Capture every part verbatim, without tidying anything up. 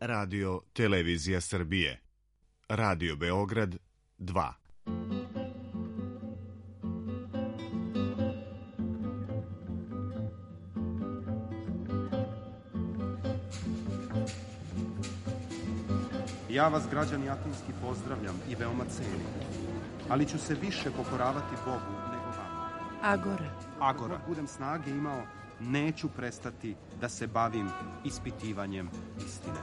Radio Televizija Srbije. Radio Beograd dva. Ja vas, građani Atinski, pozdravljam i veoma cenim, ali ću se više pokoravati Bogu nego vama. Agora. Agora. Ako budem snage imao, neću prestati da se bavim ispitivanjem istine.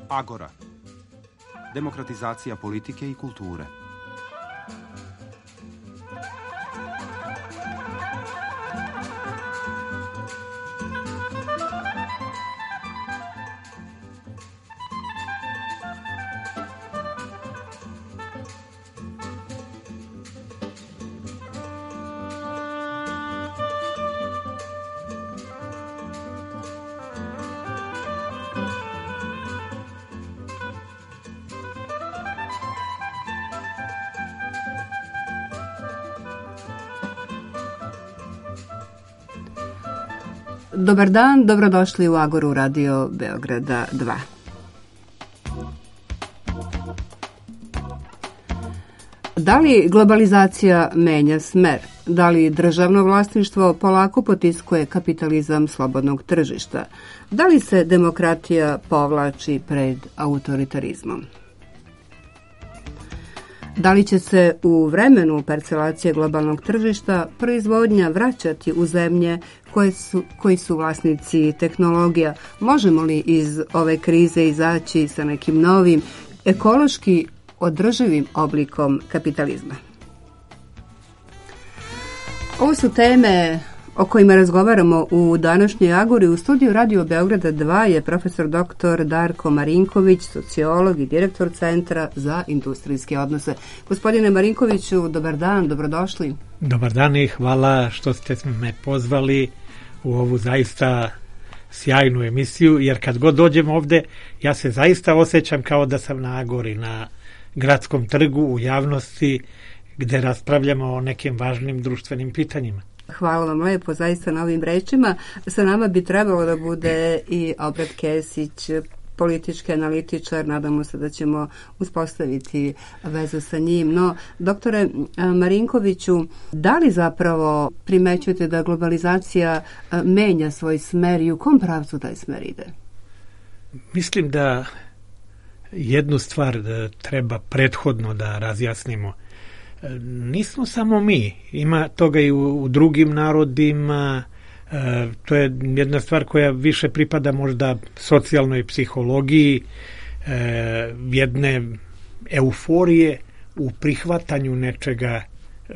Agora. Demokratizacija politike i kulture. Dobar dan, dobrodošli u Agoru Radio Beograda dva. Da li globalizacija menja smer? Da li državno vlasništvo polako potiskuje kapitalizam slobodnog tržišta? Da li se demokratija povlači pred autoritarizmom? Da li će se u vremenu parcelacije globalnog tržišta proizvodnja vraćati u zemlje koje su, koji su vlasnici tehnologija? Možemo li iz ove krize izaći sa nekim novim, ekološki održivim oblikom kapitalizma? Ovo su teme o kojima razgovaramo u današnjoj Agori. U studiju Radio Beograda dva je profesor doktor Darko Marinković, sociolog i direktor Centra za industrijske odnose. Gospodine Marinkoviću, dobar dan, dobrodošli. Dobar dan i hvala što ste me pozvali u ovu zaista sjajnu emisiju, jer kad god dođem ovde, ja se zaista osjećam kao da sam na Agori, na gradskom trgu, u javnosti, gde raspravljamo o nekim važnim društvenim pitanjima. Hvala vam lepo zaista na ovim rečima. Sa nama bi trebalo da bude i Obrat Kesić, politički analitičar. Nadamo se da ćemo uspostaviti vezu sa njim. No, doktore Marinkoviću, da li zapravo primećujete da globalizacija menja svoj smer i u kom pravcu taj smer ide? Mislim da jednu stvar da treba prethodno da razjasnimo. Nismo samo mi, ima toga i u, u drugim narodima, e, to je jedna stvar koja više pripada možda socijalnoj psihologiji, e, jedne euforije u prihvatanju nečega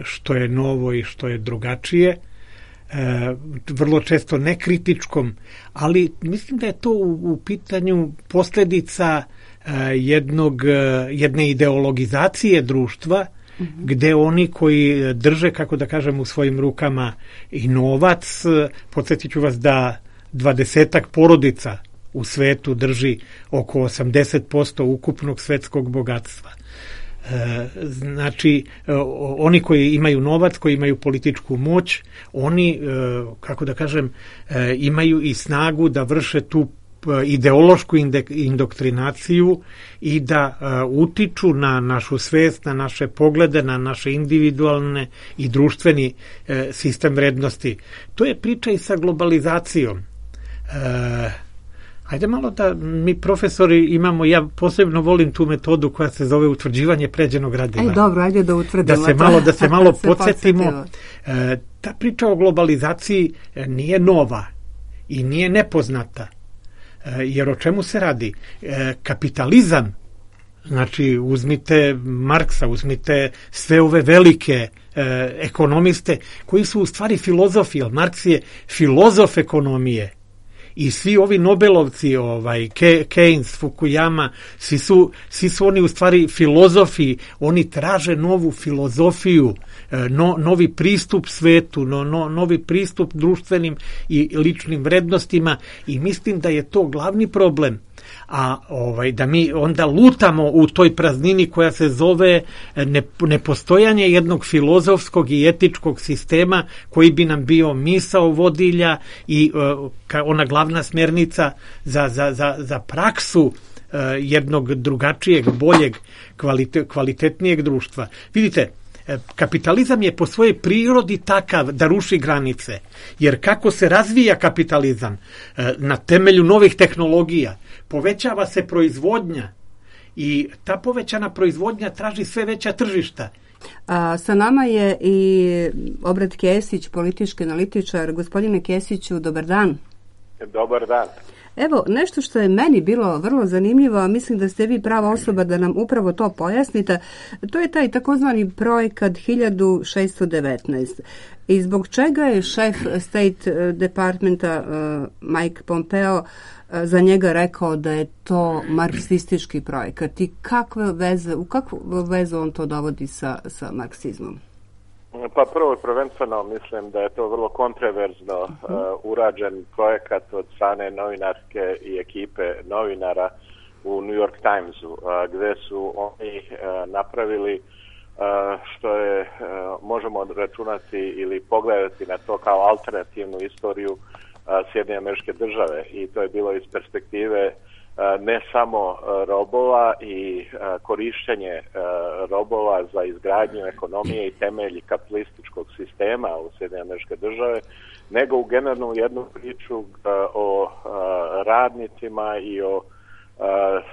što je novo i što je drugačije, e, vrlo često nekritičkom, ali mislim da je to u, u pitanju posljedica e, jednog, jedne ideologizacije društva, gde oni koji drže, kako da kažem, u svojim rukama i novac, podsjetit ću vas da dvadesetak porodica u svetu drži oko osamdeset posto ukupnog svetskog bogatstva. E, znači, oni koji imaju novac, koji imaju političku moć, oni, e, kako da kažem, e, imaju i snagu da vrše tu ideološku indoktrinaciju i da uh, utiču na našu svest, na naše poglede, na naše individualne i društveni uh, sistem vrednosti. To je priča i sa globalizacijom. Uh, Hajde malo da mi profesori imamo, ja posebno volim tu metodu koja se zove utvrđivanje pređenog gradiva. Aj dobro, ajde da utvrdimo. Da se malo, da se malo podsjetimo. Uh, ta priča o globalizaciji nije nova i nije nepoznata. Jer o čemu se radi? Kapitalizam, znači uzmite Marksa, uzmite sve ove velike e, ekonomiste koji su u stvari filozofi, jer Marks je filozof ekonomije. I svi ovi Nobelovci, ovaj, Keynes, Fukuyama, svi su, svi su oni u stvari filozofi, oni traže novu filozofiju, no, novi pristup svetu, no, no, novi pristup društvenim i ličnim vrednostima i mislim da je to glavni problem. a ovaj da mi onda lutamo u toj praznini koja se zove ne, nepostojanje jednog filozofskog i etičkog sistema koji bi nam bio misao vodilja i uh, ona glavna smjernica za, za, za, za praksu uh, jednog drugačijeg, boljeg, kvalite, kvalitetnijeg društva. Vidite, kapitalizam je po svojoj prirodi takav da ruši granice, jer kako se razvija kapitalizam na temelju novih tehnologija, povećava se proizvodnja i ta povećana proizvodnja traži sve veća tržišta. A, sa nama je i Obred Kesić, politički analitičar. Gospodine Kesiću, dobar dan. Dobar dan. Evo, nešto što je meni bilo vrlo zanimljivo, a mislim da ste vi prava osoba da nam upravo to pojasnite, to je taj takozvani projekat hiljadu šesto devetnaest. I zbog čega je šef State Departmenta uh, Mike Pompeo uh, za njega rekao da je to marksistički projekat i kakve veze, u kakvu vezu on to dovodi sa, sa marksizmom? Pa prvo prvenstveno mislim da je to vrlo kontroverzno uh, urađen projekat od strane novinarske i ekipe novinara u New York Timesu, uh, gdje su oni uh, napravili uh, što je, uh, možemo računati ili pogledati na to kao alternativnu istoriju uh, Sjedinjenih Američke Države, i to je bilo iz perspektive ne samo robova i korištenje robova za izgradnju ekonomije i temelji kapitalističkog sistema u Sjedinjenih Američke Države, nego u generalnu jednu priču o radnicima i o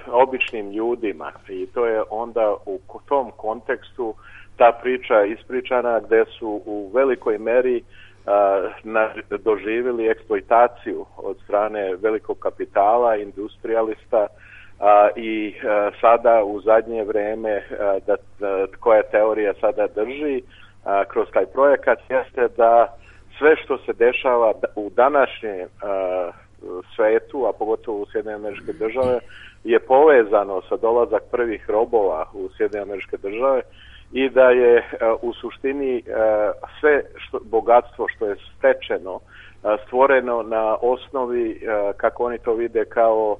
običnim ljudima. I to je onda u tom kontekstu ta priča ispričana gdje su u velikoj meri doživjeli eksploitaciju od strane velikog kapitala, industrijalista, a, i a, sada u zadnje vrijeme a, da, da, koja teorija sada drži a, kroz taj projekat jeste da sve što se dešava u današnjem a, svetu, a pogotovo u Sjedinjene Američke Države, je povezano sa dolazak prvih robova u Sjedinjene Američke Države i da je uh, u suštini uh, sve što, bogatstvo što je stečeno uh, stvoreno na osnovi, uh, kako oni to vide, kao uh,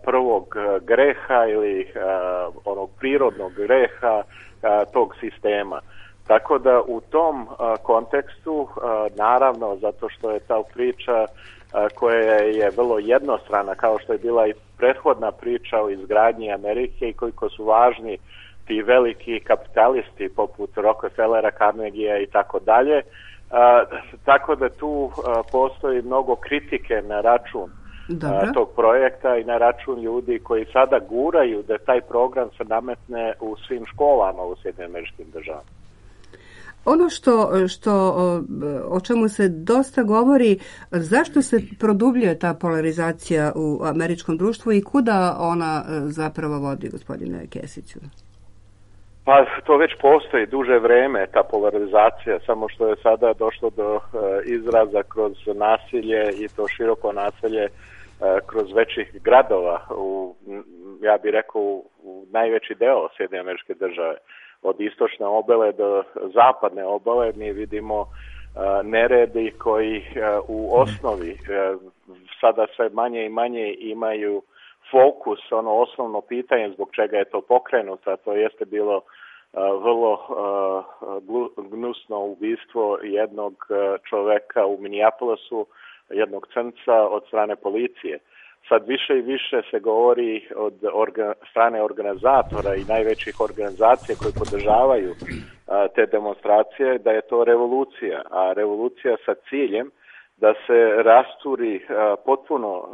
prvog uh, greha ili uh, onog prirodnog greha uh, tog sistema. Tako da u tom uh, kontekstu, uh, naravno, zato što je ta priča uh, koja je vrlo jednostrana, kao što je bila i prethodna priča o izgradnji Amerike i koliko su važni ti veliki kapitalisti poput Rockefellera, Carnegiea i tako dalje. Tako da tu a, postoji mnogo kritike na račun a, tog projekta i na račun ljudi koji sada guraju da taj program se nametne u svim školama u Sjedinjenim Američkim Državama. Ono što, što o, o čemu se dosta govori, zašto se produbljuje ta polarizacija u američkom društvu i kuda ona zapravo vodi, gospodine Kesiću? Pa to već postoji duže vrijeme, ta polarizacija, samo što je sada došlo do uh, izraza kroz nasilje, i to široko nasilje uh, kroz većih gradova, u, ja bih rekao u, u najveći deo Sjedinjene Američke Države. Od istočne obale do zapadne obale mi vidimo uh, neredi koji uh, u osnovi uh, sada sve manje i manje imaju fokus, ono osnovno pitanje zbog čega je to pokrenuto, a to jeste bilo uh, vrlo uh, gnusno ubistvo jednog uh, čoveka u Minneapolisu, jednog crnca od strane policije. Sad više i više se govori od orga, strane organizatora i najvećih organizacija koji podržavaju uh, te demonstracije da je to revolucija, a revolucija sa ciljem da se rasturi uh, potpuno uh,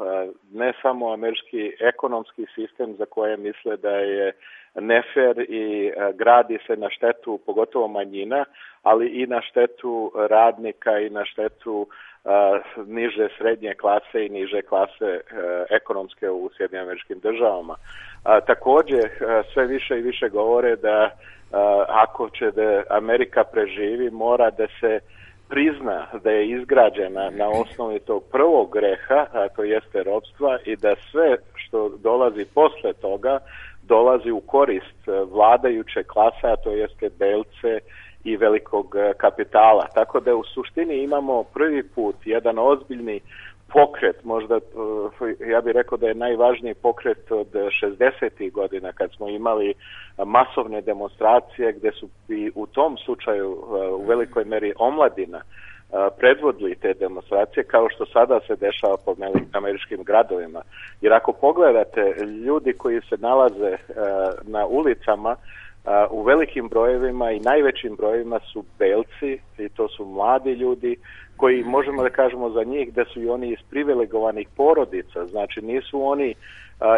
ne samo američki ekonomski sistem za koje misle da je nefer i uh, gradi se na štetu pogotovo manjina, ali i na štetu radnika i na štetu uh, niže srednje klase i niže klase uh, ekonomske u Sjedinjenim Američkim Državama. Uh, također uh, sve više i više govore da uh, ako će da Amerika preživi, mora da se prizna da je izgrađena na osnovi tog prvog greha, a to jeste ropstva, i da sve što dolazi posle toga dolazi u korist vladajuće klase, a to jeste belce i velikog kapitala. Tako da u suštini imamo prvi put jedan ozbiljni pokret, možda ja bih rekao da je najvažniji pokret od šezdesetih godina kad smo imali masovne demonstracije gdje su i u tom slučaju u velikoj meri omladina predvodili te demonstracije kao što sada se dešava po američkim gradovima. Jer ako pogledate ljudi koji se nalaze na ulicama u velikim brojevima i najvećim brojevima su belci i to su mladi ljudi koji možemo da kažemo za njih da su i oni iz privilegovanih porodica, znači nisu oni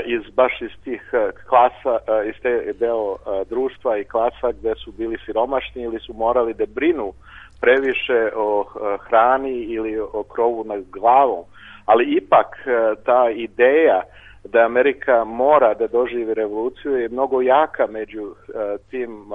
iz baš iz tih klasa, iz te deo društva i klasa gde su bili siromašni ili su morali da brinu previše o hrani ili o krovu nad glavom, ali ipak ta ideja da Amerika mora da doživi revoluciju je mnogo jaka među uh, tim uh,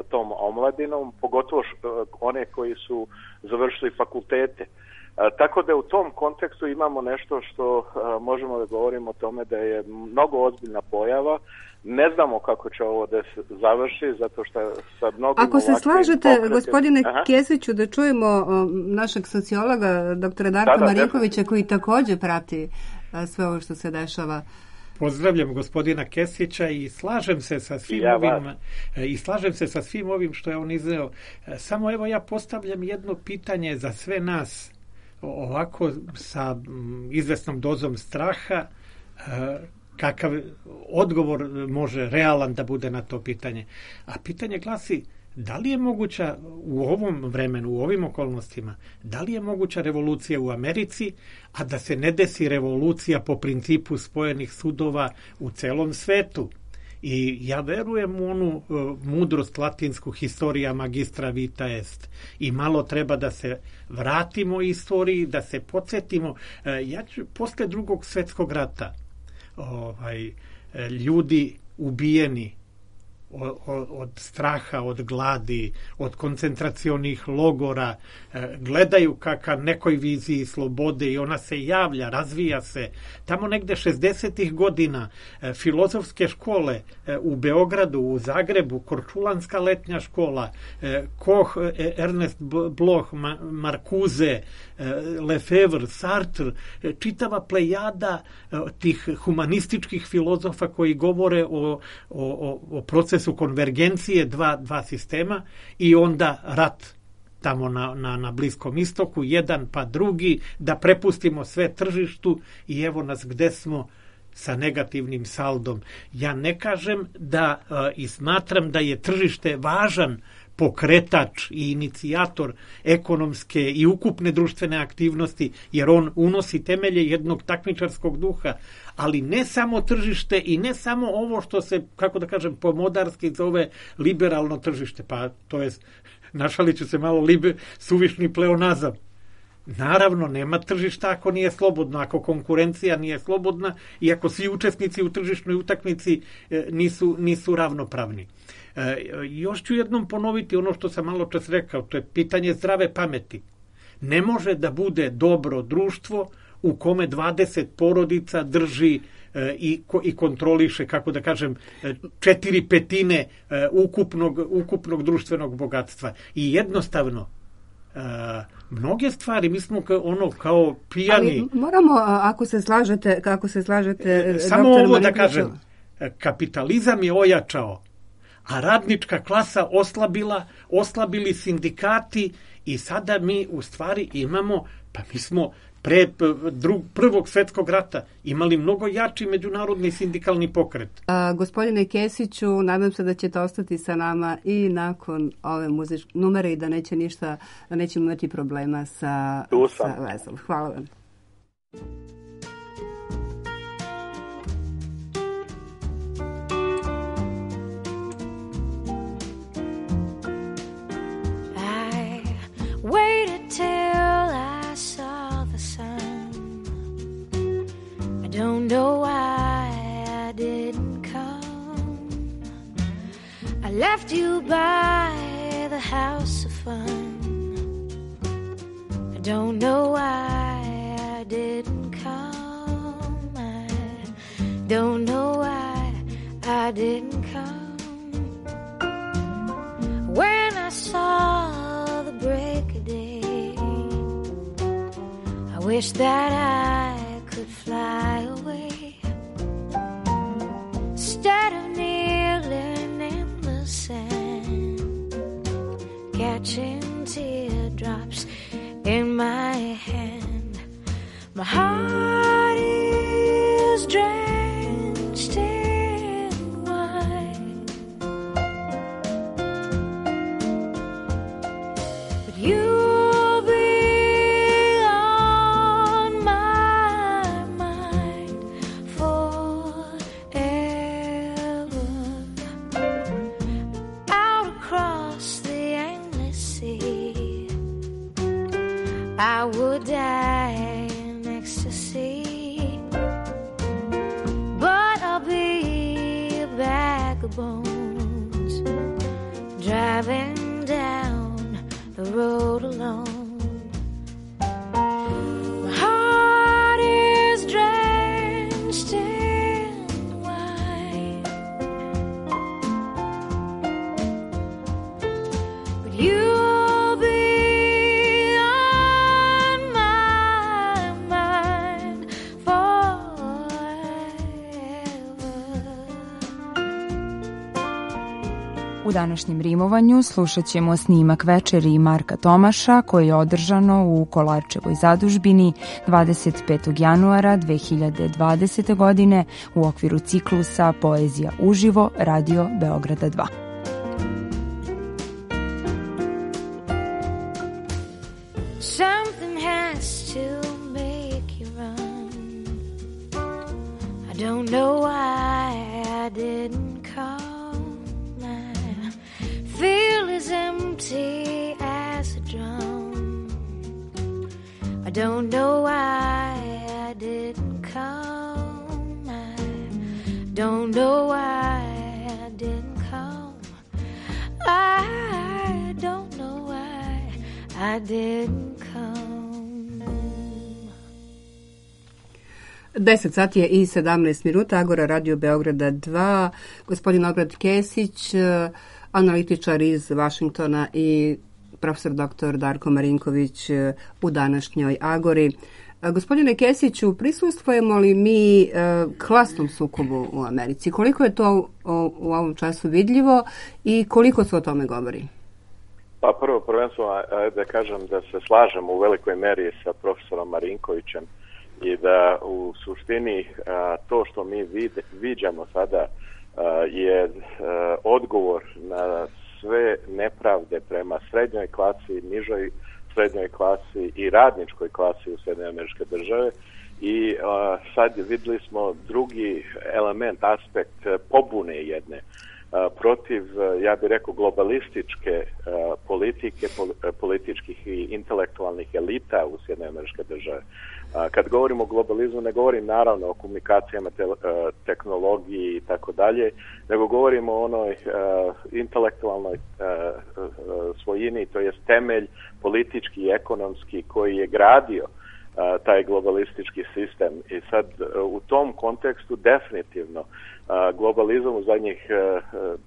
tom omladinom, pogotovo š, uh, one koji su završili fakultete. Uh, tako da u tom kontekstu imamo nešto što uh, možemo da govorimo o tome da je mnogo ozbiljna pojava. Ne znamo kako će ovo da se završi, zato što sa mnogim Ako se slažete, pokretima... gospodine Aha. Kesiću, da čujemo um, našeg sociologa, doktora Darka da, da, Marinkovića, da. koji također prati uh, sve ovo što se dešava. Pozdravljam gospodina Kesića i slažem se sa svim ja ovim i slažem se sa svim ovim što je on izneo. Samo evo ja postavljam jedno pitanje za sve nas ovako sa izvesnom dozom straha. Kakav odgovor može realan da bude na to pitanje? A pitanje glasi, da li je moguća u ovom vremenu, u ovim okolnostima, da li je moguća revolucija u Americi, a da se ne desi revolucija po principu spojenih sudova u celom svetu? I ja verujem u onu uh, mudrost latinsku historia magistra vita est. I malo treba da se vratimo istoriji, da se podsjetimo. Uh, ja ću, posle drugog svetskog rata, ovaj, ljudi ubijeni od, od straha, od gladi, od koncentracionih logora, gledaju ka, ka nekoj viziji slobode i ona se javlja, razvija se. Tamo negde šezdesetih godina filozofske škole u Beogradu, u Zagrebu, Korčulanska letnja škola, Koch, Ernest Bloch, Marcuse, Lefebvre, Sartre, čitava plejada tih humanističkih filozofa koji govore o, o, o procesu su konvergencije dva, dva sistema i onda rat tamo na, na, na Bliskom istoku, jedan pa drugi, da prepustimo sve tržištu i evo nas gde smo sa negativnim saldom. Ja ne kažem da uh, i smatram da je tržište važan pokretač i inicijator ekonomske i ukupne društvene aktivnosti, jer on unosi temelje jednog takmičarskog duha, ali ne samo tržište i ne samo ovo što se, kako da kažem, pomodarski zove liberalno tržište, pa to je, našalit ću se malo, libe, suvišni pleonazam. Naravno, nema tržišta ako nije slobodno, ako konkurencija nije slobodna i ako svi učesnici u tržišnoj utakmici e, nisu, nisu ravnopravni. E, još ću jednom ponoviti ono što sam malo čas rekao, to je pitanje zdrave pameti. Ne može da bude dobro društvo u kome dvadeset porodica drži e, i, i kontroliše, kako da kažem, četiri petine e, ukupnog, ukupnog društvenog bogatstva. I jednostavno, Uh, mnoge stvari, mi smo ka, ono kao pijani. Ali moramo, ako se slažete, kako se slažete, samo ovo da kažem, kapitalizam je ojačao, a radnička klasa oslabila, oslabili sindikati i sada mi u stvari imamo, pa mi smo pre drug, prvog svetskog rata imali mnogo jači međunarodni sindikalni pokret. A, gospodine Kesiću, nadam se da ćete ostati sa nama i nakon ove muzičke numere i da neće ništa, da nećemo imati problema sa, sa vezom. Hvala vam. I waited till I saw the sun. I don't know why I didn't come. I left you by the house of fun. I don't know why I didn't come. I don't know why I didn't come. When I saw the break of day, I wish that I could fly away instead of kneeling in the sand, catching teardrops in my hand. My heart is drenched in wine, but you'll be on my mind forever. Out across the endless sea, I would die in ecstasy, but I'll be a bag of bones driving down the road alone. My heart is drenched in wine, but you'll be on my mind forever. U današnjem rimovanju slušat ćemo snimak večeri Marka Tomaša koje je održano u Kolarčevoj zadužbini dvadeset petog januara dve hiljade dvadesete. godine u okviru ciklusa Poezija uživo Radio Beograda dva. Something has to make you run. I don't know why I didn't come. I feel as empty as a drum. I don't know why I didn't come. I don't know why I didn't come. I don't know why I didn't come. deset sati je i sedamnaest minuta, Agora Radio Beograda dva, gospodin Ognjen Kesić, analitičar iz Vašingtona i profesor doktor Darko Marinković u današnjoj Agori. Gospodine Kesiću, prisustvujemo li mi klasnom sukobu u Americi? Koliko je to u ovom času vidljivo i koliko se o tome govori? Pa prvo prvenstveno da kažem da se slažem u velikoj meri sa profesorom Marinkovićem i da u suštini to što mi viđamo sada je odgovor na sve nepravde prema srednjoj klasi, nižoj srednjoj klasi i radničkoj klasi u Sjedinjene Američke Države. I a, sad vidjeli smo drugi element, aspekt pobune jedne a, protiv, ja bih rekao, globalističke a, politike, pol, političkih i intelektualnih elita u Sjedinjene Američke Države. A, kad govorimo o globalizmu, ne govorim naravno o komunikacijama, te, a, tehnologiji i tako dalje, nego govorimo o onoj a, intelektualnoj a, a, svojini, to je temelj politički i ekonomski koji je gradio a, taj globalistički sistem. I sad u tom kontekstu definitivno a, globalizam u zadnjih a,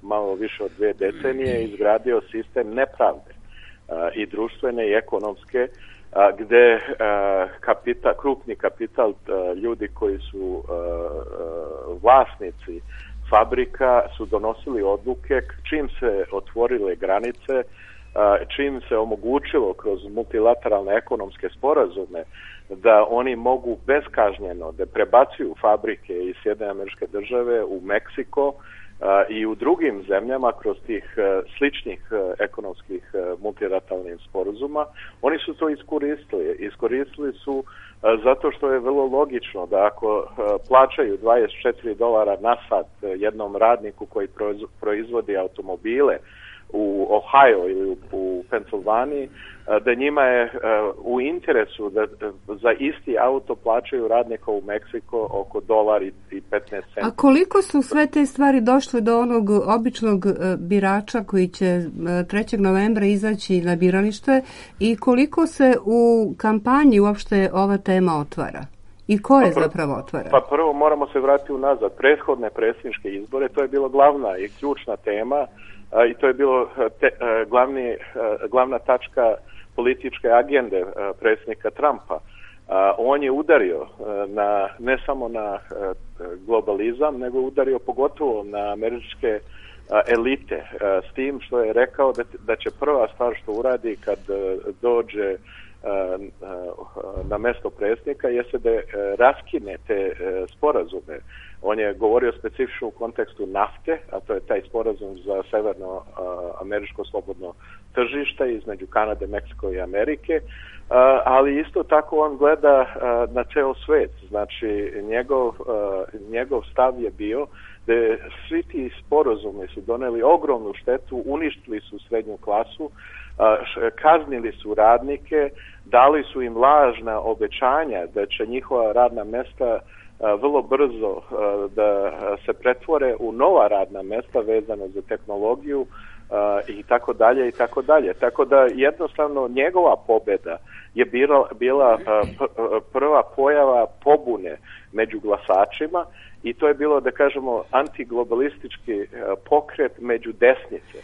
malo više od dve decenije izgradio sistem nepravde a, i društvene i ekonomske, a, gde a, kapital, krupni kapital, a, ljudi koji su a, a, vlasnici fabrika su donosili odluke čim se otvorile granice, čim se omogućilo kroz multilateralne ekonomske sporazume da oni mogu beskažnjeno da prebacuju fabrike iz Sjedinjene Američke Države u Meksiko i u drugim zemljama kroz tih sličnih ekonomskih multilateralnih sporazuma, oni su to iskoristili. Iskoristili su zato što je vrlo logično da ako plaćaju dvadeset četiri dolara na sat jednom radniku koji proizvodi automobile u Ohio ili u, u Pensilvaniji, da njima je u interesu da za isti auto plaćaju radnika u Meksiko oko dolar i petnaest centi. A koliko su sve te stvari došle do onog običnog birača koji će trećeg novembra izaći na biralište i koliko se u kampanji uopšte ova tema otvara? I ko je pa zapravo otvara? Pa prvo moramo se vratiti unazad. Prethodne predsjedničke izbore, to je bilo glavna i ključna tema i to je bilo te, glavni, glavna tačka političke agende predsjednika Trumpa. on je udario na, ne samo na globalizam, nego udario pogotovo na američke elite, s tim što je rekao da, da će prva stvar što uradi kad dođe na mesto predsjednika jeste da raskine te sporazume. On je govorio specifično u kontekstu nafte, a to je taj sporazum za severno američko slobodno tržište između Kanade, Meksiko i Amerike, ali isto tako on gleda na ceo svet. Znači njegov, njegov stav je bio da svi ti sporazumi su doneli ogromnu štetu, uništili su srednju klasu, kaznili su radnike, dali su im lažna obećanja da će njihova radna mesta vrlo brzo da se pretvore u nova radna mesta vezana za tehnologiju i tako dalje i tako dalje. Tako da jednostavno njegova pobjeda je bila, bila prva pojava pobune među glasačima i to je bilo, da kažemo, antiglobalistički pokret među desnice.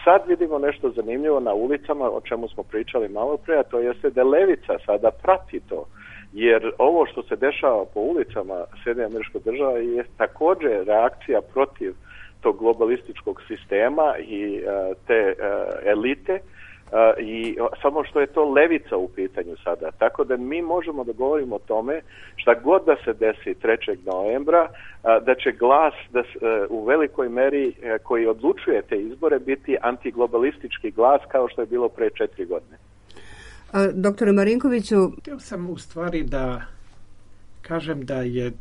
Sad vidimo nešto zanimljivo na ulicama, o čemu smo pričali malo prije, a to jeste da levica sada prati to. Jer ovo što se dešava po ulicama Sjedinjenih Američkih Država je također reakcija protiv tog globalističkog sistema i uh, te uh, elite uh, i samo što je to levica u pitanju sada. Tako da mi možemo da govorimo o tome šta god da se desi trećeg novembra, uh, da će glas da, uh, u velikoj meri uh, koji odlučuje te izbore biti antiglobalistički glas kao što je bilo pre četiri godine. Doktore Marinkoviću, htio sam u stvari da kažem da je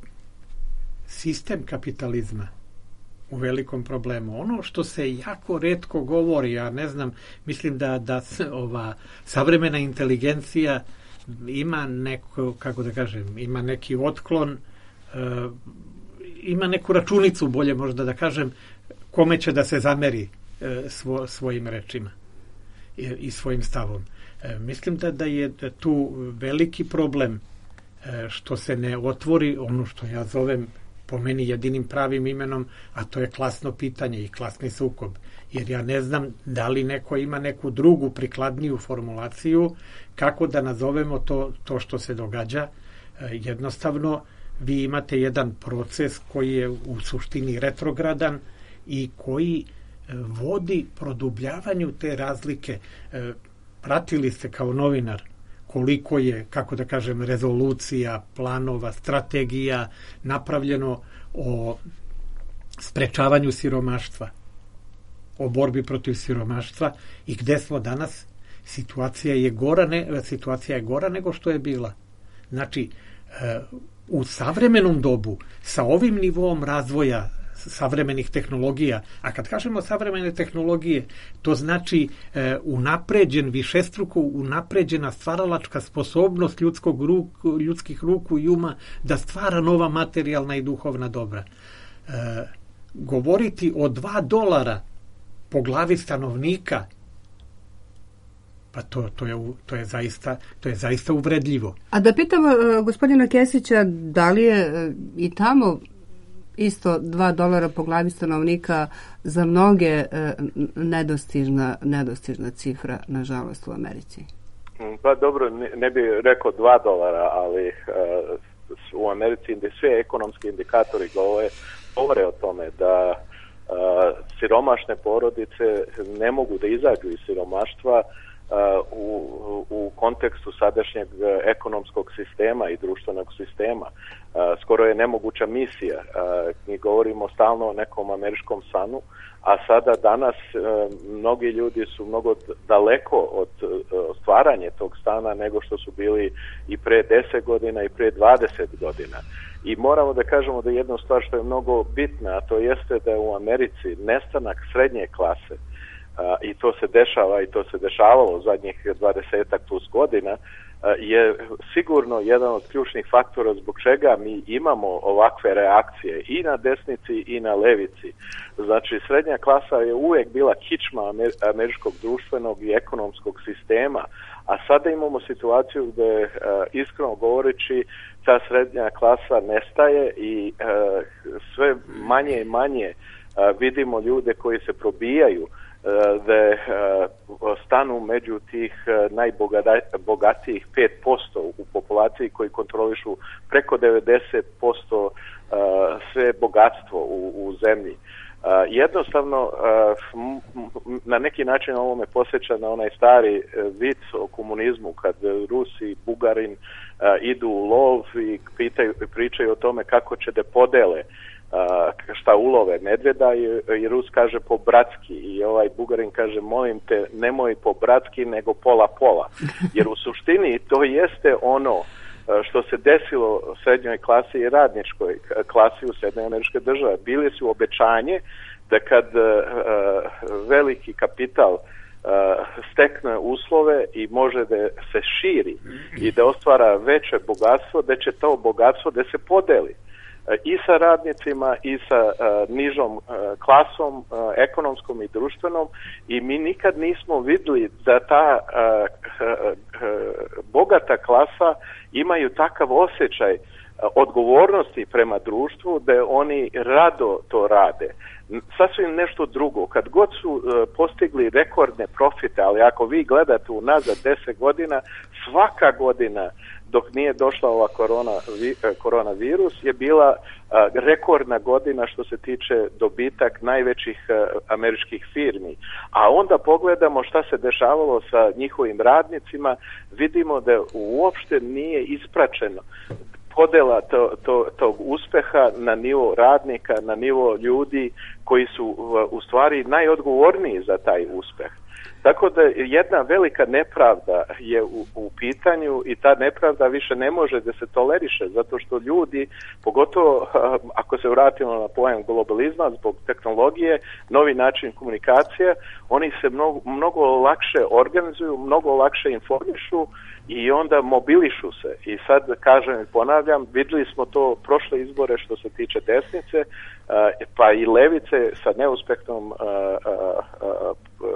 sistem kapitalizma u velikom problemu. Ono što se jako retko govori, ja ne znam, mislim da, da ova savremena inteligencija ima neko, kako da kažem, ima neki otklon, uh, ima neku računicu, bolje možda da kažem, kome će da se zameri uh, svo, svojim rečima i, i svojim stavom. Mislim da, da je tu veliki problem što se ne otvori ono što ja zovem po meni jedinim pravim imenom, a to je klasno pitanje i klasni sukob. Jer ja ne znam da li neko ima neku drugu prikladniju formulaciju kako da nazovemo to, to što se događa. Jednostavno, vi imate jedan proces koji je u suštini retrogradan i koji vodi produbljavanju te razlike. Pratili ste kao novinar koliko je, kako da kažem, rezolucija, planova, strategija napravljeno o sprečavanju siromaštva, o borbi protiv siromaštva i gde smo danas? Situacija je gora, ne, situacija je gora nego što je bila. Znači, u savremenom dobu, sa ovim nivom razvoja savremenih tehnologija, a kad kažemo savremene tehnologije, to znači e, unapređen, višestruko unapređena stvaralačka sposobnost ljudskog ruku, ljudskih ruku i uma da stvara nova materijalna i duhovna dobra. E, govoriti o dva dolara po glavi stanovnika, pa to, to, je, to, je zaista, to je zaista uvredljivo. A da pitamo uh, gospodina Kesića, da li je uh, i tamo isto dva dolara po glavi stanovnika za mnoge uh, nedostižna, nedostižna cifra, nažalost, u Americi? Pa dobro, ne, ne bih rekao dva dolara, ali uh, u Americi svi ekonomski indikatori govore, govore o tome da uh, siromašne porodice ne mogu da izađu iz siromaštva Uh, u, u kontekstu sadašnjeg ekonomskog sistema i društvenog sistema. Uh, skoro je nemoguća misija. Uh, mi govorimo stalno o nekom američkom sanu, a sada danas uh, mnogi ljudi su mnogo daleko od uh, stvaranja tog stana nego što su bili i pre deset godina i pre dvadeset godina. I moramo da kažemo da jedna stvar što je mnogo bitna, a to jeste da je u Americi nestanak srednje klase, Uh, i to se dešava i to se dešavalo zadnjih dvadesetak plus godina, uh, je sigurno jedan od ključnih faktora zbog čega mi imamo ovakve reakcije i na desnici i na levici. Znači, srednja klasa je uvijek bila kičma amer- američkog društvenog i ekonomskog sistema, a sada imamo situaciju gdje, uh, iskreno govoreći, ta srednja klasa nestaje i uh, sve manje i manje uh, vidimo ljude koji se probijaju da stanu među tih najbogatijih pet posto u populaciji korporaciji koji kontrolišu preko devedeset posto sve bogatstvo u, u zemlji. Uh, jednostavno uh, na neki način ovo me posjeća na onaj stari uh, vic o komunizmu kad Rusi, Bugarin uh, idu u lov i pitaju, pričaju o tome kako će da podele uh, šta ulove medveda i, i Rus kaže po bratski i ovaj Bugarin kaže molim te nemoj po bratski nego pola pola jer u suštini to jeste ono što se desilo u srednjoj klasi i radničkoj klasi u Sjedinjenim Američke Države. Bili su obećanje da kad uh, veliki kapital uh, stekne uslove i može da se širi i da ostvara veće bogatstvo, da će to bogatstvo da se podeli uh, i sa radnicima i sa uh, nižom uh, klasom, uh, ekonomskom i društvenom i mi nikad nismo vidjeli da ta uh, uh, uh, bogata klasa imaju takav osjećaj odgovornosti prema društvu da oni rado to rade. Sasvim nešto drugo. Kad god su uh, postigli rekordne profite, ali ako vi gledate unazad deset godina, svaka godina dok nije došla ova korona, vi, koronavirus je bila uh, rekordna godina što se tiče dobitak najvećih uh, američkih firmi. A onda pogledamo šta se dešavalo sa njihovim radnicima, vidimo da uopšte nije ispraćeno podela to, to, tog uspeha na nivo radnika, na nivo ljudi koji su u stvari najodgovorniji za taj uspeh. Tako da jedna velika nepravda je u, u pitanju i ta nepravda više ne može da se toleriše zato što ljudi, pogotovo ako se vratimo na pojam globalizma zbog tehnologije, novi način komunikacije, oni se mnogo, mnogo lakše organizuju, mnogo lakše informišu i onda mobilišu se. I sad kažem i ponavljam, vidjeli smo to prošle izbore što se tiče desnice, pa i levice sa neuspehnom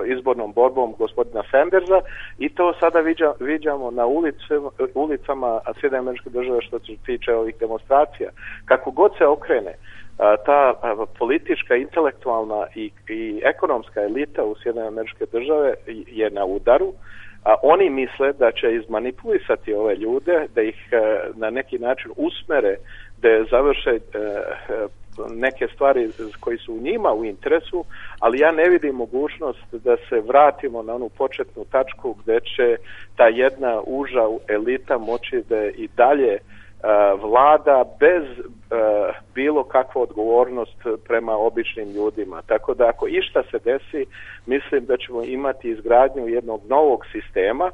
izbornom borbom gospodina Sandersa i to sada viđa, viđamo na ulice, ulicama Sjedinjenih Američkih Država što se tiče ovih demonstracija. Kako god se okrene, ta politička, intelektualna i, i ekonomska elita u Sjedinjenim Američke Države je na udaru. A oni misle da će izmanipulisati ove ljude, da ih na neki način usmere, da završe neke stvari koji su njima u interesu, ali ja ne vidim mogućnost da se vratimo na onu početnu tačku gdje će ta jedna uža elita moći da i dalje uh, vlada bez uh, bilo kakvu odgovornost prema običnim ljudima. Tako da ako išta se desi, mislim da ćemo imati izgradnju jednog novog sistema,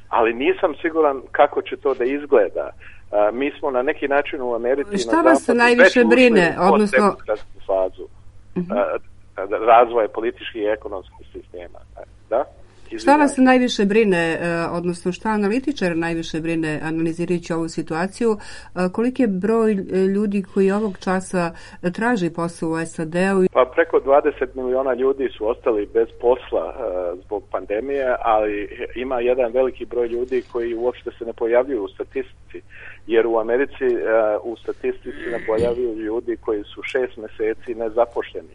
ali nisam siguran kako će to da izgleda. Uh, mi smo na neki način u Americi šta vas najviše brine, odnosno fazu uh-huh. uh, razvoja političkih i ekonomskih sistema. Da? Šta vas najviše brine, odnosno šta analitičar najviše brine analizirajući ovu situaciju, koliki je broj ljudi koji ovog časa traži posao u S A D-u? Pa preko dvadeset miliona ljudi su ostali bez posla uh, zbog pandemije, ali ima jedan veliki broj ljudi koji uopšte se ne pojavljuju u statistici, jer u Americi uh, u statistici ne pojavljuju ljudi koji su šest meseci nezaposleni.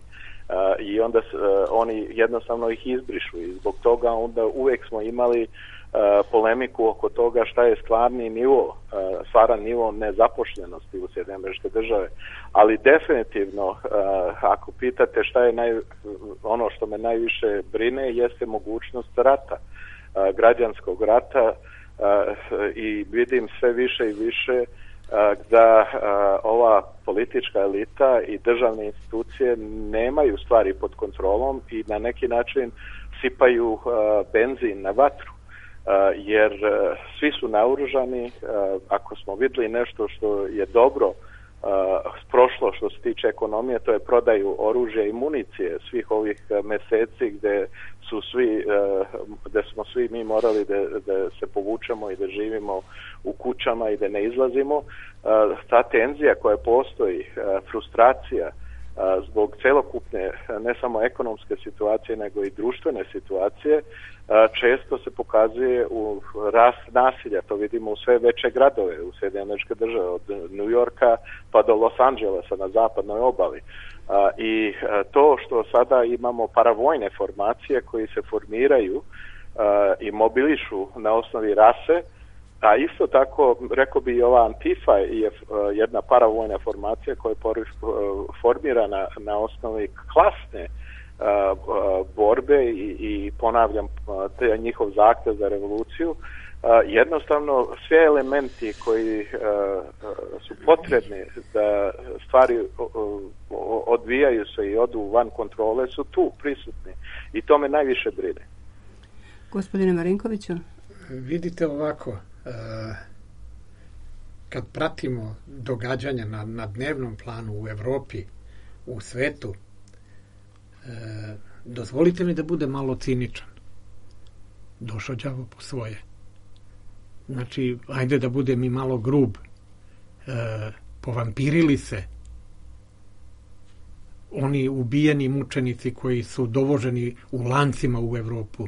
Uh, i onda uh, oni jednostavno ih izbrišu i zbog toga onda uvijek smo imali uh, polemiku oko toga šta je stvarni nivo, uh, stvaran nivo nezapošljenosti u Sjedinjenim Američke Države. Ali definitivno, uh, ako pitate šta je naj, ono što me najviše brine, jeste mogućnost rata, uh, građanskog rata uh, i vidim sve više i više da ova politička elita i državne institucije nemaju stvari pod kontrolom i na neki način sipaju benzin na vatru. Jer svi su naoružani. Ako smo vidjeli nešto što je dobro prošlo što se tiče ekonomije, to je prodaju oružja i municije svih ovih meseci gdje su svi, gdje smo svi mi morali da, da se povučemo i da živimo u kućama i da ne izlazimo. Ta tenzija koja postoji, frustracija zbog celokupne ne samo ekonomske situacije nego i društvene situacije često se pokazuje u rast nasilja. To vidimo u sve veće gradove u Sjedinjenim Američke Države, od New Yorka pa do Los Angelesa na zapadnoj obali. I to što sada imamo paravojne formacije koji se formiraju i mobilišu na osnovi rase, A isto tako, rekao bi, ova Antifa je jedna paravojna formacija koja je formirana na osnovi klasne borbe i, i ponavljam, te njihov zahtev za revoluciju. Jednostavno, sve elementi koji su potrebni da stvari odvijaju se i odu van kontrole su tu prisutni. I to me najviše brine. Gospodine Marinkoviću? Vidite ovako, kad pratimo događanja na, na dnevnom planu u Evropi, u svetu, dozvolite mi da bude malo ciničan. Došao đavo po svoje. Znači, ajde da budem i malo grub. E, povampirili se oni ubijeni mučenici koji su dovoženi u lancima u Evropu,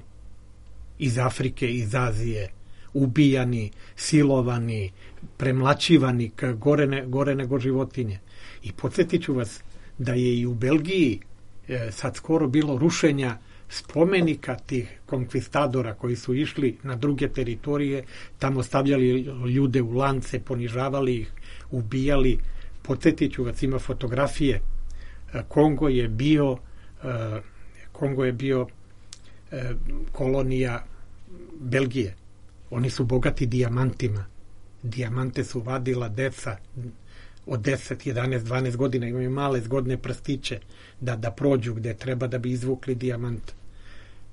iz Afrike, iz Azije, ubijani, silovani, premlaćivani, gore, ne, gore nego životinje. I podsjetit ću vas da je i u Belgiji e, sad skoro bilo rušenja spomenika tih konkvistadora koji su išli na druge teritorije, tamo stavljali ljude u lance, ponižavali ih, ubijali. Podsjetit ću vas, ima fotografije. Kongo je bio Kongo je bio kolonija Belgije. Oni su bogati dijamantima. Dijamante su vadila deca od deset, jedanaest, dvanaest godina, imaju male zgodne prstiće da, da prođu gde treba da bi izvukli dijamant.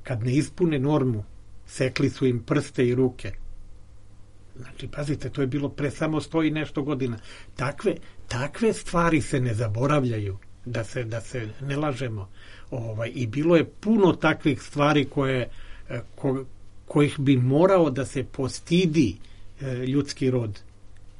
Kad ne ispune normu, sekli su im prste i ruke. Znači, pazite, to je bilo pre samo sto i nešto godina. Takve, takve stvari se ne zaboravljaju, da se, da se ne lažemo. Ovaj, i bilo je puno takvih stvari koje, ko, kojih bi morao da se postidi e, ljudski rod.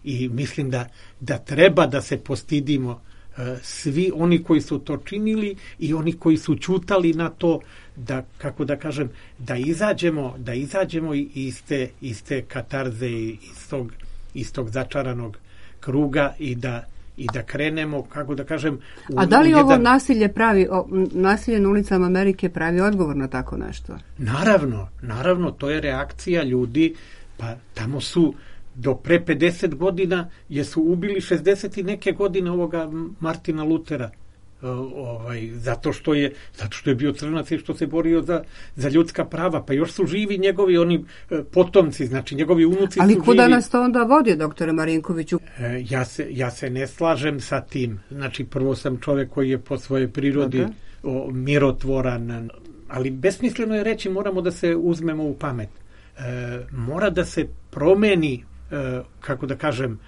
I mislim da, da treba da se postidimo e, svi oni koji su to činili i oni koji su ćutali na to, da, kako da kažem, da izađemo, da izađemo iz te, iz te katarze i iz tog, iz tog začaranog kruga i da i da krenemo, kako da kažem... U, A da li jedan... ovo nasilje pravi, o, nasilje na ulicama Amerike pravi odgovor na tako nešto? Naravno, naravno, to je reakcija ljudi, pa tamo su do pre pedeset godina jesu ubili šezdeset i neke godine ovoga Martina Lutera, ovaj, zato što je zato što je bio crnac i što se borio za, za ljudska prava, pa još su živi njegovi oni potomci, znači njegovi unuci. Ali su kuda živi. nas to onda vodi, doktore Marinkoviću? E, ja, se, ja se ne slažem sa tim. Znači, prvo sam čovjek koji je po svojoj prirodi okay. o, mirotvoran, ali besmisleno je reći moramo da se uzmemo u pamet. E, mora da se promeni, e, kako da kažem,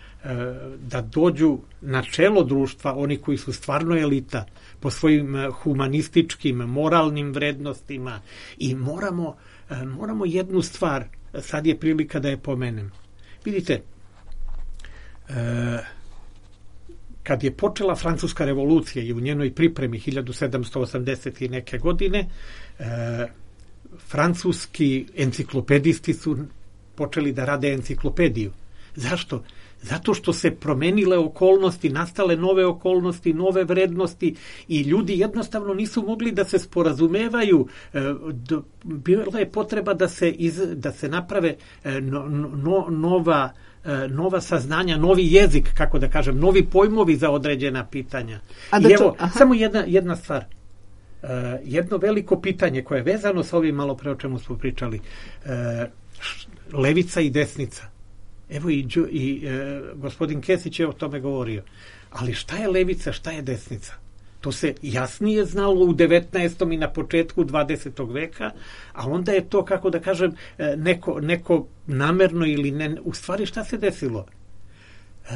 da dođu na čelo društva oni koji su stvarno elita po svojim humanističkim, moralnim vrednostima i moramo, moramo jednu stvar, sad je prilika da je pomenem. Vidite, kad je počela Francuska revolucija i u njenoj pripremi hiljadu sedamsto osamdeset i neke godine, francuski enciklopedisti su počeli da rade enciklopediju. Zašto? Zato što se promenile okolnosti, nastale nove okolnosti, nove vrednosti i ljudi jednostavno nisu mogli da se sporazumevaju. Bila je potreba da se, iz, da se naprave no, no, nova, nova saznanja, novi jezik, kako da kažem, novi pojmovi za određena pitanja. A da I evo, to, samo jedna, jedna stvar. Jedno veliko pitanje koje je vezano sa ovim malo pre o čemu smo pričali. Levica i desnica. Evo i, i e, gospodin Kesić je o tome govorio. Ali šta je levica, šta je desnica? To se jasnije znalo u devetnaestom i na početku dvadesetog veka, a onda je to, kako da kažem, neko, neko namerno ili ne... U stvari šta se desilo? E,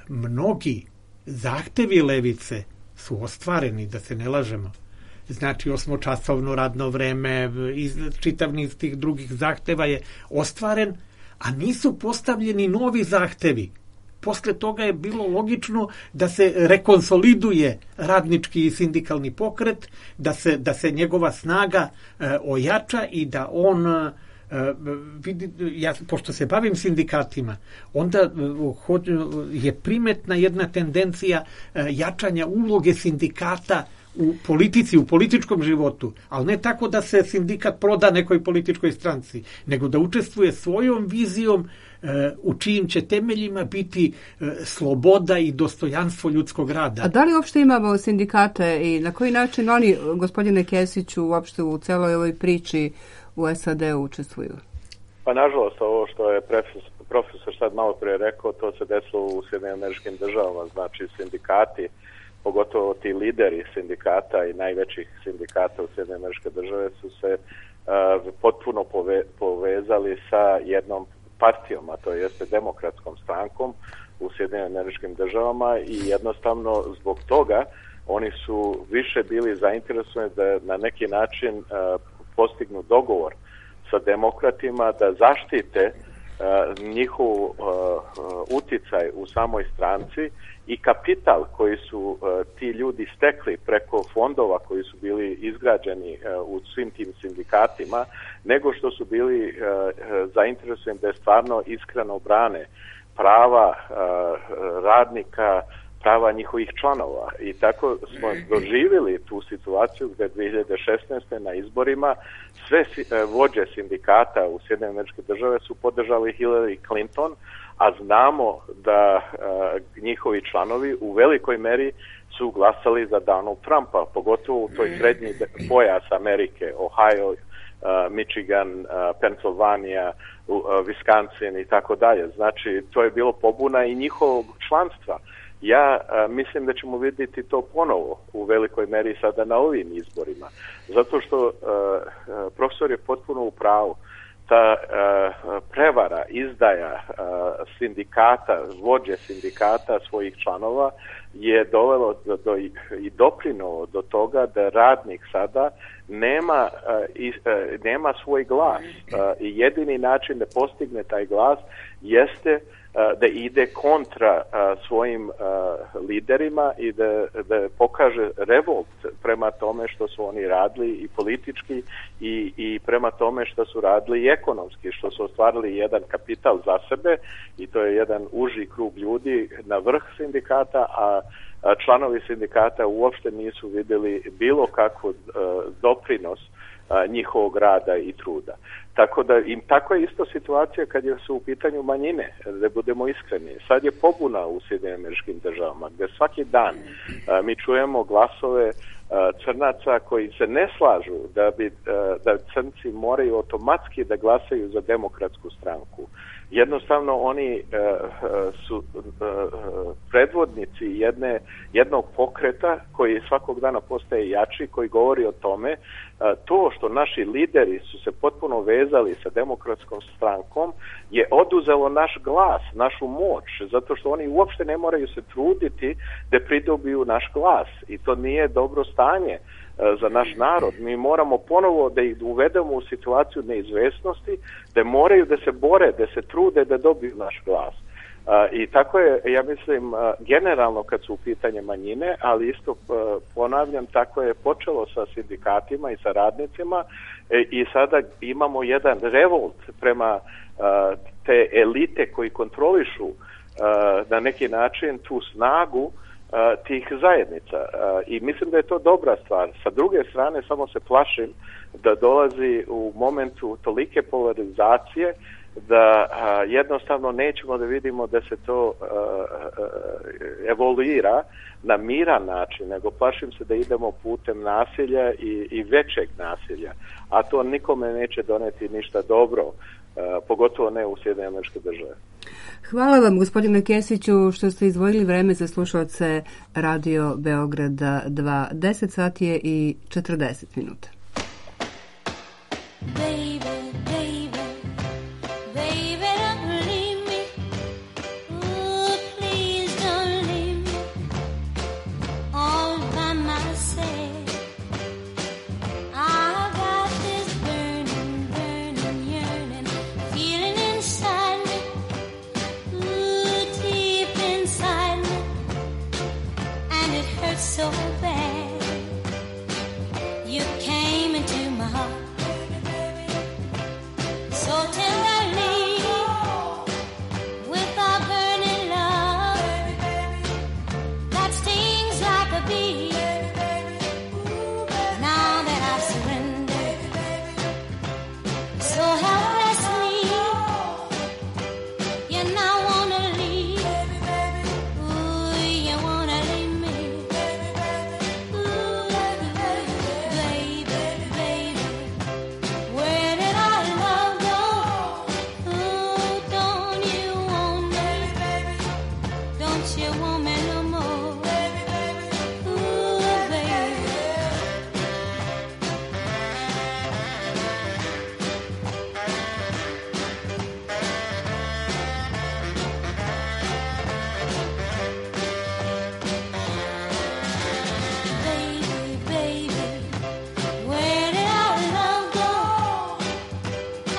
mnogi zahtevi levice su ostvareni, da se ne lažemo. Znači, osmočasovno radno vreme, iz, čitav niz tih drugih zahteva je ostvaren, a nisu postavljeni novi zahtevi. Posle toga je bilo logično da se rekonsoliduje radnički i sindikalni pokret, da se, da se njegova snaga e, ojača i da on, e, vidi, ja, pošto se bavim sindikatima, onda e, je primetna jedna tendencija e, jačanja uloge sindikata u politici, u političkom životu, ali ne tako da se sindikat proda nekoj političkoj stranci, nego da učestvuje svojom vizijom u čijim će temeljima biti sloboda i dostojanstvo ljudskog rada. A da li uopšte imamo sindikate i na koji način oni, gospodine Kesiću, uopšte u celoj ovoj priči u S A D-u učestvuju? Pa nažalost, ovo što je profesor, profesor sad malo prije rekao, to se desilo u Sjedinjenim Američkim Državama, znači sindikati, pogotovo ti lideri sindikata i najvećih sindikata u Sjedinjenim Američke Države su se uh, potpuno pove, povezali sa jednom partijom, a to jeste demokratskom strankom u Sjedinjenim Američkim Državama i jednostavno zbog toga oni su više bili zainteresovani da na neki način uh, postignu dogovor sa demokratima da zaštite uh, njihov uh, uticaj u samoj stranci i kapital koji su uh, ti ljudi stekli preko fondova koji su bili izgrađeni uh, u svim tim sindikatima, nego što su bili uh, zainteresovani da je stvarno iskreno brane prava uh, radnika, prava njihovih članova. I tako smo doživjeli tu situaciju gdje dvije hiljade šesnaeste. na izborima sve uh, vođe sindikata u Sjedinjenim Američkim Državama su podržali Hillary Clinton, a znamo da uh, njihovi članovi u velikoj meri su glasali za Donald Trumpa, pogotovo u toj srednji pojas Amerike, Ohio, uh, Michigan, uh, Pennsylvania, uh, Wisconsin i tako dalje. Znači, to je bilo pobuna i njihovog članstva. Ja uh, mislim da ćemo vidjeti to ponovo u velikoj meri sada na ovim izborima, zato što uh, uh, profesor je potpuno u pravu. Ta uh, prevara, izdaja uh, sindikata, vođe sindikata svojih članova je dovelo do, do, i doprinulo do toga da radnik sada nema, uh, i, uh, nema svoj glas uh, i jedini način da postigne taj glas jeste uh, da ide kontra uh, svojim uh, liderima i da, da pokaže revolt prema tome što su oni radili i politički i, i prema tome što su radili i ekonomski, što su ostvarili jedan kapital za sebe i to je jedan uži krug ljudi na vrh sindikata, a članovi sindikata uopšte nisu vidjeli bilo kakvu uh, doprinos uh, njihovog rada i truda. Tako da im tako je isto situacija kad je su u pitanju manjine, da budemo iskreni. Sad je pobuna u Sjedinjenim Američkim Državama, gdje svaki dan uh, mi čujemo glasove uh, crnaca koji se ne slažu da bi uh, da crnci moraju automatski da glasaju za demokratsku stranku. Jednostavno oni uh, su uh, predvodnici jedne, jednog pokreta koji svakog dana postaje jači, koji govori o tome uh, to što naši lideri su se potpuno vezali sa demokratskom strankom je oduzelo naš glas, našu moć, zato što oni uopšte ne moraju se truditi da pridobiju naš glas i to nije dobro stanje za naš narod. Mi moramo ponovo da ih uvedemo u situaciju neizvesnosti, da moraju da se bore, da se trude da dobiju naš glas. Uh, I tako je, ja mislim, uh, generalno kad su u pitanje manjine, ali isto uh, ponavljam, tako je počelo sa sindikatima i sa radnicima e, i sada imamo jedan revolt prema uh, te elite koji kontrolišu uh, na neki način tu snagu Uh, tih zajednica uh, i mislim da je to dobra stvar. Sa druge strane samo se plašim da dolazi u momentu tolike polarizacije da uh, jednostavno nećemo da vidimo da se to uh, uh, evoluira na miran način, nego plašim se da idemo putem nasilja i, i većeg nasilja, a to nikome neće doneti ništa dobro, uh, pogotovo ne u Sjedinjenim Američkim Državama. Hvala vam, gospodine Kesiću, što ste izdvojili vreme za slušalce Radio Beograda dva. deset sati je i četrdeset minuta. Baby, baby, baby, don't leave me. Ooh, please don't leave me all by myself. I got this burning, burning, yearning feeling inside me. Ooh, deep inside me, and it hurts so bad. You came into my heart. Don't you want me no more? Ooh, baby. Baby, baby, where did our love go?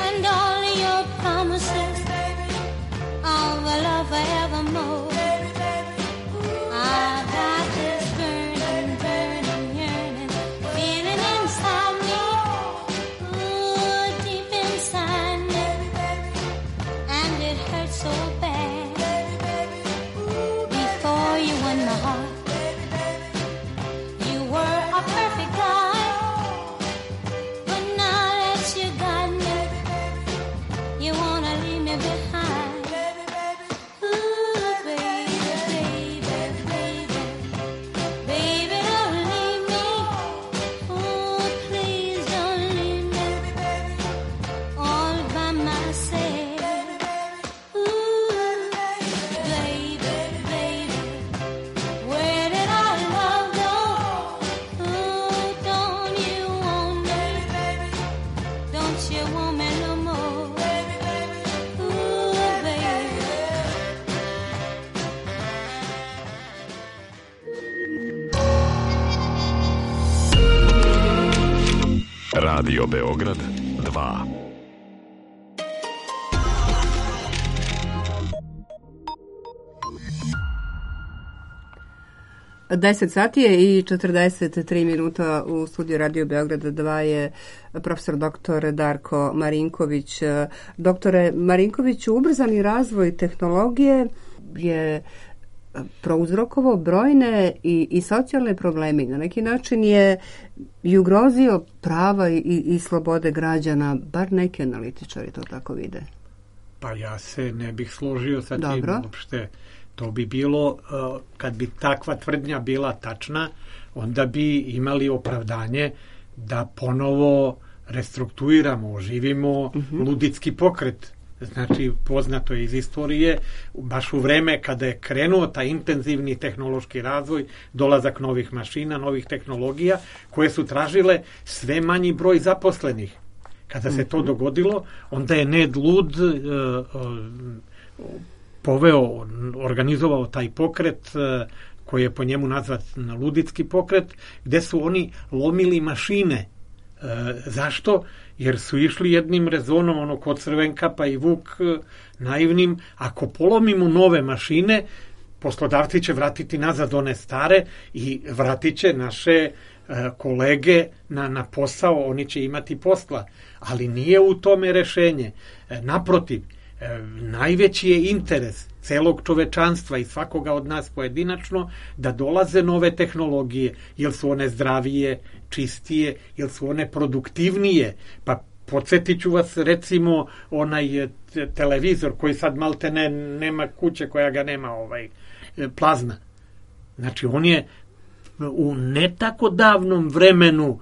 And all your promises of a love forevermore. I got this burning, burning, yearning feeling inside me, ooh, deep inside me, and it hurts so bad. Before you won my heart, you were a perfect guy, but now that you got me, you wanna leave me behind. Ooh, baby, baby, baby, baby, don't leave me. Oh, please don't leave me all by myself. Ooh, baby, baby, where did our love go? Ooh, don't you want me? Don't you want me no more? Ooh, baby. Radio Beograd dva. deset sati je i četrdeset tri minuta u studiju Radio Beograda dva je profesor doktor Darko Marinković. Doktore Marinkoviću, ubrzani razvoj tehnologije je prouzrokovao brojne i, i socijalne probleme. Na neki način je i ugrozio prava i, i slobode građana, bar neki analitičari to tako vide. Pa ja se ne bih složio sa tim Dobro. uopšte. To bi bilo, uh, kad bi takva tvrdnja bila tačna, onda bi imali opravdanje da ponovo restrukturiramo, oživimo luditski pokret. Znači, poznato je iz istorije, baš u vreme kada je krenuo taj intenzivni tehnološki razvoj, dolazak novih mašina, novih tehnologija, koje su tražile sve manji broj zaposlenih. Kada se to dogodilo, onda je Ned Lud uh, uh, poveo, organizovao taj pokret uh, koji je po njemu nazvat luditski pokret, gde su oni lomili mašine. Uh, zašto? Jer su išli jednim rezonom, ono kod Crvenkapa i Vuk uh, naivnim, ako polomimo nove mašine, poslodavci će vratiti nazad one stare i vratit će naše uh, kolege na, na posao, oni će imati posla. Ali nije u tome rešenje. Uh, naprotiv, E, najveći je interes celog čovečanstva i svakoga od nas pojedinačno da dolaze nove tehnologije, jer su one zdravije, čistije, jer su one produktivnije. Pa podsjetit ću vas recimo onaj te, televizor koji sad malte ne, nema kuće koja ga nema, ovaj, plazma. Znači on je u ne tako davnom vremenu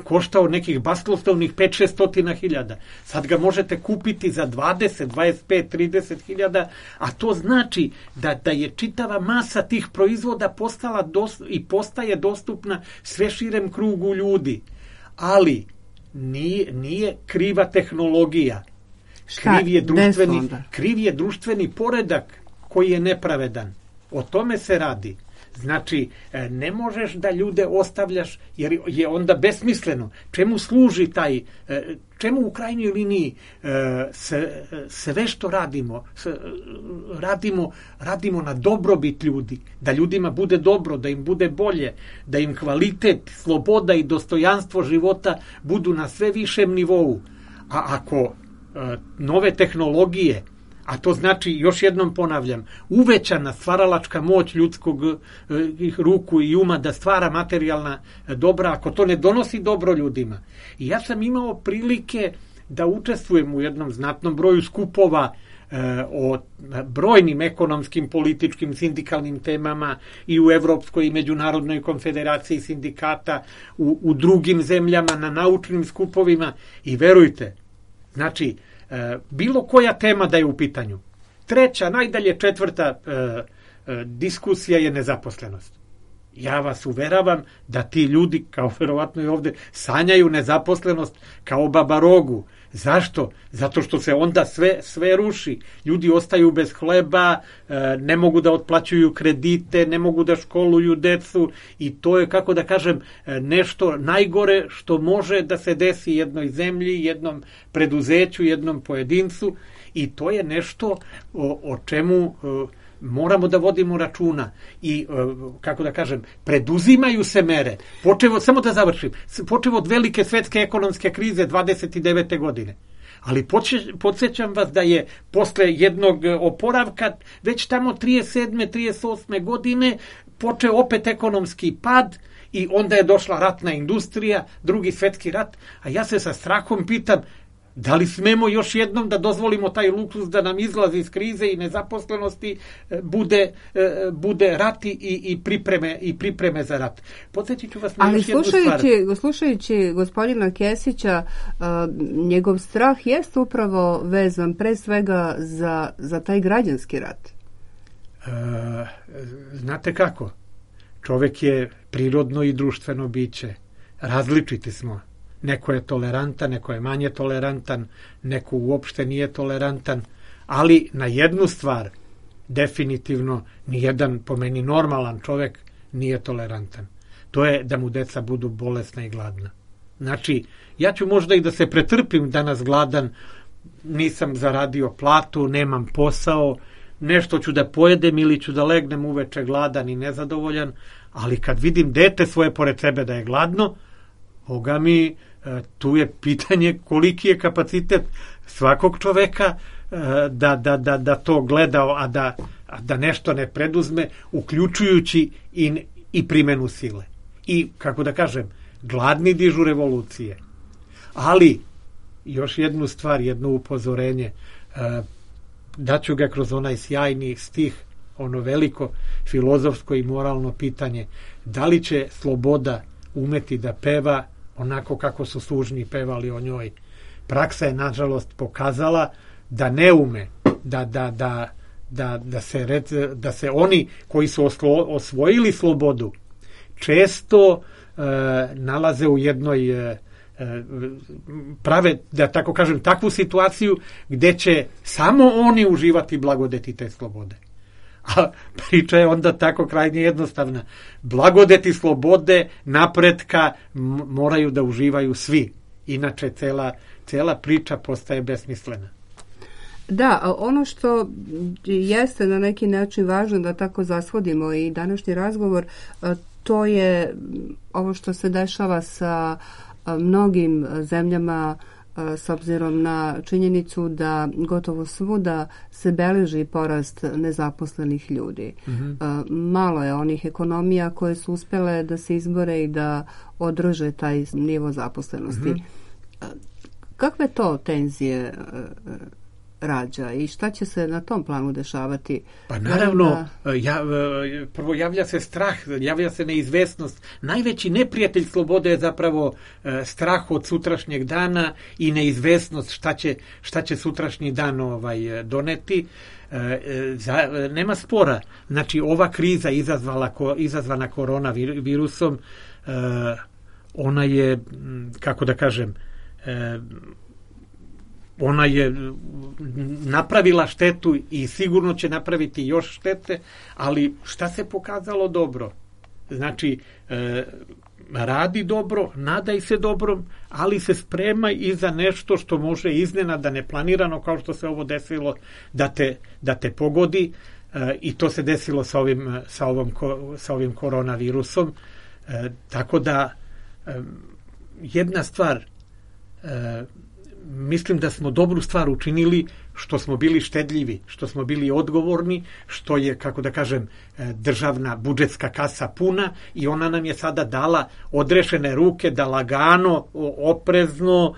koštao nekih basnoslovnih pet do šest stotina hiljada. Sad ga možete kupiti za dvadeset, dvadeset pet, trideset hiljada, a to znači da, da je čitava masa tih proizvoda postala dos, i postaje dostupna sve širem krugu ljudi. Ali nije, nije kriva tehnologija. Kriv je, društveni, kriv je društveni poredak koji je nepravedan. O tome se radi. Znači, ne možeš da ljude ostavljaš, jer je onda besmisleno. Čemu služi taj, čemu u krajnjoj liniji sve što radimo, radimo, radimo na dobrobit ljudi, da ljudima bude dobro, da im bude bolje, da im kvalitet, sloboda i dostojanstvo života budu na sve višem nivou. A ako nove tehnologije, a to znači, još jednom ponavljam, uvećana stvaralačka moć ljudskog eh, ruku i uma da stvara materijalna dobra, ako to ne donosi dobro ljudima. I ja sam imao prilike da učestvujem u jednom znatnom broju skupova eh, o brojnim ekonomskim, političkim, sindikalnim temama i u Evropskoj i Međunarodnoj konfederaciji sindikata, u, u drugim zemljama, na naučnim skupovima i verujte, znači, bilo koja tema da je u pitanju. Treća, najdalje četvrta e, diskusija je nezaposlenost. Ja vas uveravam da ti ljudi, kao verovatno i ovde, sanjaju nezaposlenost kao baba rogu. Zašto? Zato što se onda sve, sve ruši. Ljudi ostaju bez hleba, ne mogu da otplaćuju kredite, ne mogu da školuju decu i to je, kako da kažem, nešto najgore što može da se desi jednoj zemlji, jednom preduzeću, jednom pojedincu i to je nešto o, o čemu moramo da vodimo računa i, kako da kažem, preduzimaju se mere. Počevo, samo da završim, počevo od velike svetske ekonomske krize dvadeset devete godine. Ali podsjećam vas da je posle jednog oporavka već tamo trideset sedme trideset osme godine počeo opet ekonomski pad i onda je došla ratna industrija, drugi svetski rat, a ja se sa strahom pitam da li smemo još jednom da dozvolimo taj luksuz da nam izlazi iz krize i nezaposlenosti bude, bude rat i, i, pripreme, i pripreme za rat. Podsjetit ću vas na Ali još jednu stvar. Ali slušajući gospodina Kesića, uh, njegov strah jest upravo vezan pre svega za, za taj građanski rat. Uh, znate kako? Čovek je prirodno i društveno biće. Različiti smo. Neko je tolerantan, neko je manje tolerantan, neko uopšte nije tolerantan, ali na jednu stvar definitivno nijedan, po meni normalan čovek, nije tolerantan. To je da mu deca budu bolesna i gladna. Znači, ja ću možda i da se pretrpim danas gladan, nisam zaradio platu, nemam posao, nešto ću da pojedem ili ću da legnem uveče gladan i nezadovoljan, ali kad vidim dete svoje pored sebe da je gladno, Boga mi, tu je pitanje koliki je kapacitet svakog čoveka da, da, da, da to gleda, a da, a da nešto ne preduzme, uključujući i, i primenu sile. I, kako da kažem, gladni dižu revolucije. Ali, još jednu stvar, jedno upozorenje, daću ga kroz onaj sjajni stih, ono veliko filozofsko i moralno pitanje, da li će sloboda umeti da peva onako kako su služni pevali o njoj. Praksa je, nažalost, pokazala da ne ume, da, da, da, da, da, se, da se oni koji su oslo, osvojili slobodu često e, nalaze u jednoj, e, prave, da tako kažem, takvu situaciju gde će samo oni uživati blagodeti te slobode. A priča je onda tako krajnje jednostavna. Blagodeti slobode, napretka moraju da uživaju svi. Inače, cela, cela priča postaje besmislena. Da, ono što jeste na neki način važno da tako zasvodimo i današnji razgovor, to je ovo što se dešava sa mnogim zemljama s obzirom na činjenicu da gotovo svuda se beleži porast nezaposlenih ljudi. Mm-hmm. Malo je onih ekonomija koje su uspjele da se izbore i da održe taj nivo zaposlenosti. Mm-hmm. Kakve to tenzije rađa i šta će se na tom planu dešavati? Pa naravno, da... ja, prvo javlja se strah, javlja se neizvesnost. Najveći neprijatelj slobode je zapravo strah od sutrašnjeg dana i neizvesnost šta će, šta će sutrašnji dan ovaj, doneti. Za, nema spora. Znači, ova kriza izazvala, izazvana koronavirusom, ona je, kako da kažem, ona je napravila štetu i sigurno će napraviti još štete, ali šta se pokazalo dobro? Znači, e, radi dobro, nadaj se dobrom, ali se spremaj i za nešto što može iznenada, neplanirano, kao što se ovo desilo, da te, da te pogodi, e, i to se desilo sa ovim, sa ovom, sa ovim koronavirusom. E, tako da, e, jedna stvar, e, mislim da smo dobru stvar učinili što smo bili štedljivi, što smo bili odgovorni, što je, kako da kažem, državna budžetska kasa puna i ona nam je sada dala odrešene ruke da lagano, oprezno,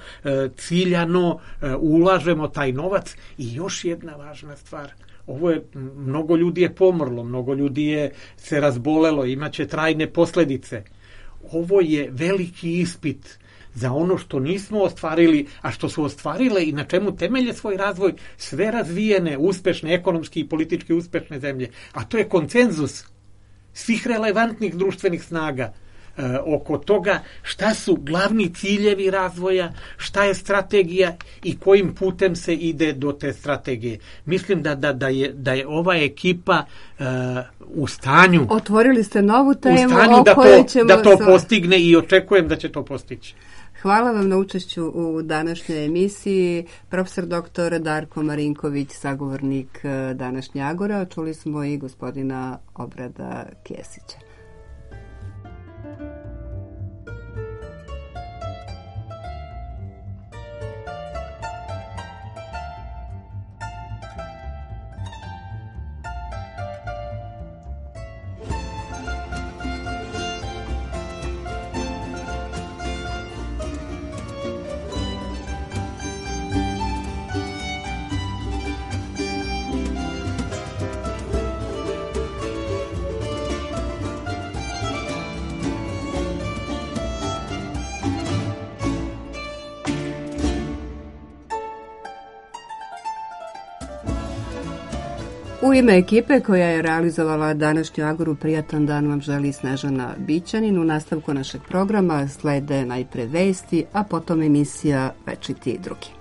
ciljano ulažemo taj novac. I još jedna važna stvar, ovo je, mnogo ljudi je pomrlo, mnogo ljudi je se razbolelo, imaće trajne posledice. Ovo je veliki ispit za ono što nismo ostvarili, a što su ostvarile i na čemu temelje svoj razvoj sve razvijene, uspešne, ekonomski i politički uspešne zemlje. A to je konsenzus svih relevantnih društvenih snaga e, oko toga šta su glavni ciljevi razvoja, šta je strategija i kojim putem se ide do te strategije. Mislim da, da, da, je, da je ova ekipa e, u stanju... Otvorili ste novu temu u stanju o da kojoj to, ćemo... da to postigne i očekujem da će to postići. Hvala vam na učešću u današnjoj emisiji. Profesor doktor Darko Marinković, sagovornik današnje Agora. Čuli smo i gospodina Obrada Kesića. U ime ekipe koja je realizovala današnju Agoru, prijatan dan vam želi Snežana Bićanin. U nastavku našeg programa slede najpre vesti, a potom emisija Večiti drugi.